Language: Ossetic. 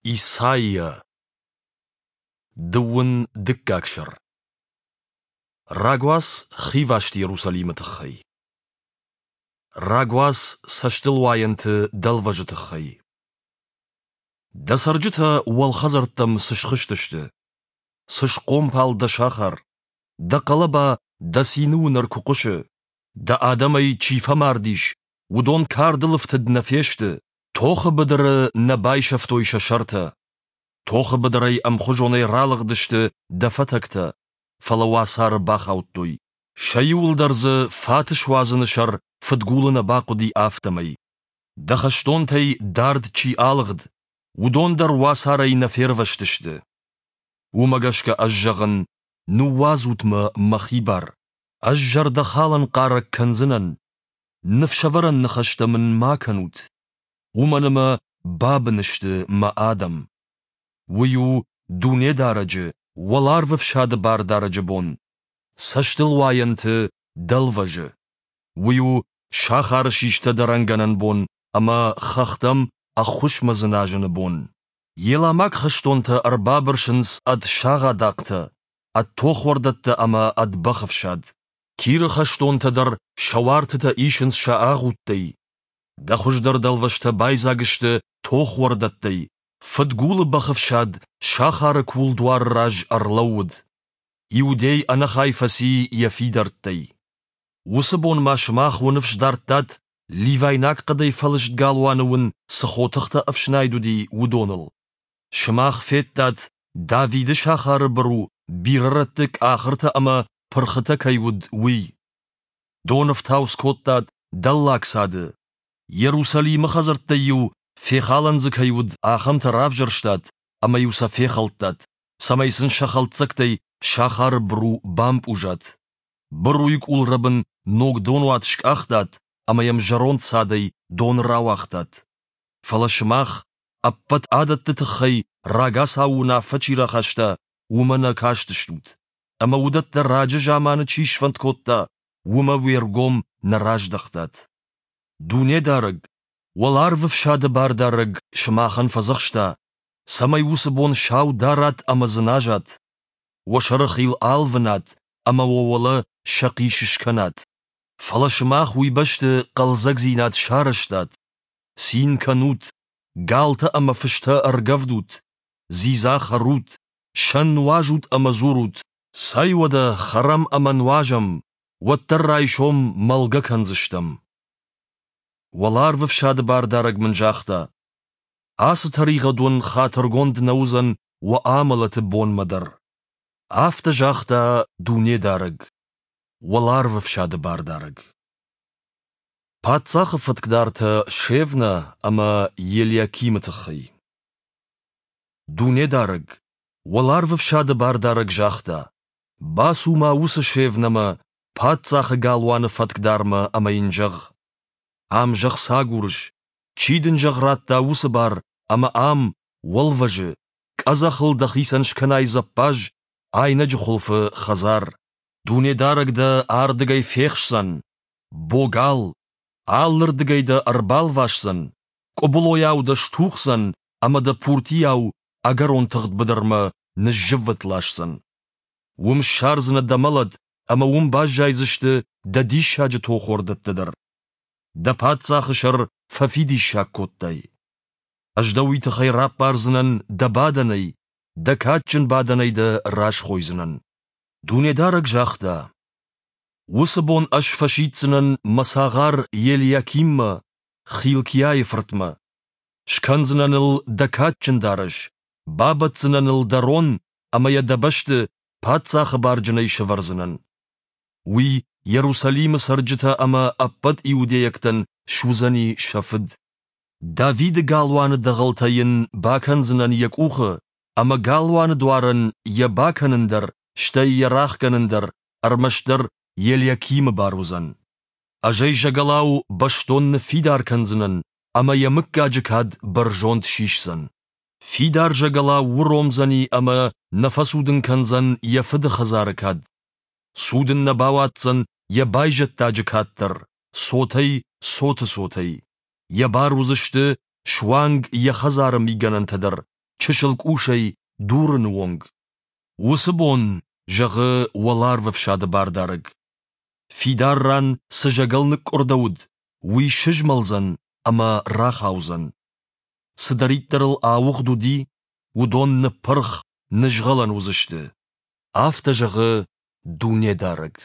Исайя, дыууын дыккаг сӕр. Рагуац хиваст Иерусалимы тыххӕй. Рагуац цӕстылуайӕнты дӕлвӕзы тыххӕй. Дӕ цӕрджытӕ уӕлхӕдзӕрттӕм цы схызтысты? Цы схъомпал дӕ сахар? Дӕ хъӕлӕба дӕ цины уынӕр куы хъуысы? Дӕ адӕмӕй чи фӕмард ис, уыдон кардыл ӕфтыд нӕ фесты, тохы быдыры нӕ байсӕфтой сӕ сӕртӕ. Тохы быдырӕй ӕмхуызонӕй ралыгъдысты дӕ фӕтӕгтӕ, фӕлӕ уацары бахаудтой. Сӕ иуыл дӕр дзы фат суадзыны сӕр фыдгулы нӕ бахъуыди, афтӕмӕй. Дӕ хӕстонтӕй дард чи алыгъд, уыдон дӕр уацарӕй нӕ фервӕзтысты. Уымӕ гӕсгӕ ӕз зӕгъын, ныууадзут мӕ мӕхи бар. Ӕз зӕрдӕхалӕн хъарӕг кӕндзынӕн, ныфсӕвӕрӕн ныхӕстӕ мын ма кӕнут, уымӕн ӕмӕ бабын сты мӕ адӕм. Уый у Дунедарӕджы, Уӕларвӕфсады Бардарӕджы бон, цӕстылуайӕнты дӕлвӕзы. Уый у сахары систӕ дӕрӕнгӕнӕн бон ӕмӕ хӕхтӕм ӕххуысмӕ дзыназыны бон. Еламаг хӕстонтӕ ӕрбабырсынц ӕд сагъадахътӕ, ӕд тохуӕрдӕттӕ ӕмӕ ӕд бӕхӕфсад. Киры хӕстонтӕ дӕр сӕ уартытӕ исынц сӕ агъудтӕй. Дӕ хуыздӕр дӕлвӕзтӕ байдзаг сты тохуӕрдӕттӕй, фыдгулы бӕхӕфсад сахары кулдуары раз ӕрлӕууыд. Иудей ӕнӕхай фӕци йӕ фидӕрттӕй. Уыцы бон ма сымах уӕ ныфс дардтат, ливайнаг хъӕдӕй фӕлыст галуаны уын цы хотыхтӕ ӕфснайд уыди, уыдоныл. Сымах федтат, Давиды сахары быру бирӕ рӕтты къахыртӕ ӕмӕ пырхытӕ кӕй уыд, уый. Дон ӕфтауц кодтат дӕллаг цады. Иерусалимы хӕдзӕрттӕй-иу фехалӕн дзы кӕй уыд, ахӕмтӕ равзӕрстат ӕмӕ-иу сӕ фехӕлдтат, цӕмӕй сын сӕ хӕлддзӕгтӕй сахары быру бампъузат. Быруйы къулрӕбын ног донуат скъахтат ӕмӕ йӕм зӕронд цадӕй дон рауагътат. Фӕлӕ сымах, ӕппӕт адӕтты тыххӕй рагацау уынаффӕ чи рахаста, уымӕ нӕ кастыстут. Ӕмӕ уыдӕттӕ раджы заманы чи сфӕнд кодта, уымӕ уе ргом нӕ раздӕхтат. Дунедарӕг, Уӕларвӕфсады Бардарӕг сымахӕн фӕдзӕхста, цӕмӕй уыцы бон сау дарат ӕмӕ дзыназат, уӕ сӕрыхил алвынат ӕмӕ уӕ уӕлӕ сӕхъис скӕнат. Фӕлӕ сымах уый бӕсты хъӕлдзӕгдзинад сарӕзтат, цин кӕнут, галтӕ ӕмӕ фыстӕ ӕргӕвдут, дзидза хӕрут, сӕн нуазут ӕмӕ дзурут, цӕй уӕдӕ хӕрӕм ӕмӕ нуазӕм, уӕддӕр райсом мӕлгӕ кӕндзыстӕм. Уӕларвӕфсады бардарӕг мын загъта: Ацы тӕригъӕд уын хатыргонд нӕ уыдзӕн уӕ амӕлӕты бонмӕ дӕр. Афтӕ загъта Дунедарӕг, Уӕларвӕфсады бардарӕг. Паддзахы фӕткдартӕ Шевна ӕмӕ Елиакимы тыххӕй. Дунедарӕг, Уӕларвӕфсады бардарӕг загъта: Бацу-ма уыцы Шевнамӕ, паддзахы галуаны фӕткдармӕ ӕмӕ йын зӕгъ: Ам зӕгъ цы агурыс, чи дын зӕгъ радта уыцы бар ӕмӕ ам, уӕлвӕзы, къӕдзӕхыл дӕхицӕн скӕнай дзӕппаз, айнӕджы хуылфы хӕдзар. Дунедарӕг дӕ ардыгӕй фехсдзӕн, богал, алырдыгӕй дӕ ӕрбалвасдзӕн, къуыбылойау дӕ стухдзӕн ӕмӕ дӕ пуртийау ӕгӕрон тыгъд быдырмӕ ныззыввытт ласдзӕн. Уым ссардзынӕ дӕ мӕлӕт ӕмӕ уым баззайдзысты дӕ диссаджы тохуӕрдӕттӕ дӕр. Дӕ паддзахы сӕр фӕфидиссаг кодтай. Ӕз дӕ уый тыххӕй раппардзынӕн дӕ бадӕнӕй, дӕ кадджын бадӕнӕй дӕ расхойдзынӕн. Дунедарӕг загъта: Уыцы бон ӕз фӕсиддзынӕн мӕ цагъар Елиакиммӕ, Хилкиайы фыртмӕ. Скӕндзынӕн ыл дӕ кадджын дарӕс, бабӕтдзынӕн ыл дӕ рон ӕмӕ йӕ дӕ бӕсты паддзахы барджынӕй сӕвӕрдзынӕн. Уый Иерусалимы цӕрджытӕ ӕмӕ ӕппӕт иудейӕгтӕн суыдзӕни сӕ фыд. Давиды галуаны дӕгъӕлтӕ йын бакӕндзынӕн йӕ къухы, ӕмӕ галуаны дуарӕн йӕ бакӕнын дӕр, стӕй йӕ рахгӕнын дӕр ӕрмӕстдӕр Елиакимы бар уыдзӕн. Ӕз ӕй зӕгӕлау бӕстон ныффидар кӕндзынӕн, ӕмӕ йӕ мыггаджы кад бӕрзонд сисдзӕн. Фидар зӕгӕлау уромдзӕни ӕмӕ нӕ фӕцудын кӕндзӕн йӕ фыды хӕдзары кад. Цудын нӕ бауадздзӕн йӕ байзӕддаджы кад дӕр, цотӕй, цоты цотӕй. Йӕ бар уыдзысты суанг йӕ хӕдзары мигӕнӕнтӕ дӕр. чысыл къусӕй дурыны онг. Уыцы бон, зӕгъы Уӕларвӕфсады Бардарӕг, фидар ран цы зӕгӕл ныкъкъуырдӕуыд, уый сызмӕлдзӕн ӕмӕ рахаудзӕн. Цыдӕриддӕр ыл ауыгъд уыди, уыдон ныппырх, нызгъӕлӕн уыдзысты. Афтӕ зӕгъы Дунедарӕг.